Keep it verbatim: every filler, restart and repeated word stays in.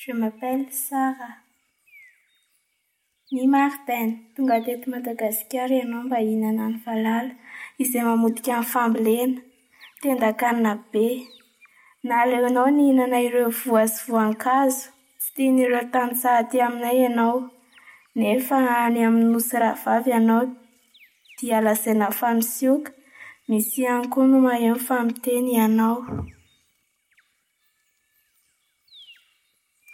Je m'appelle Sarah. Ny Martin, tonga teto Madagasikara ianao mba hihinana ny valala izay mamotika ny fambolena. Tendan-kanina be. Naleonao nihinana ireo voa sy voankazo tsy tian'ireo tantsaha aty aminay ianao. Nefa any amin'ny nosy rahavavy ianao dia lazaina fa misioka, misy ihany koa no maheno fa miteny ianao.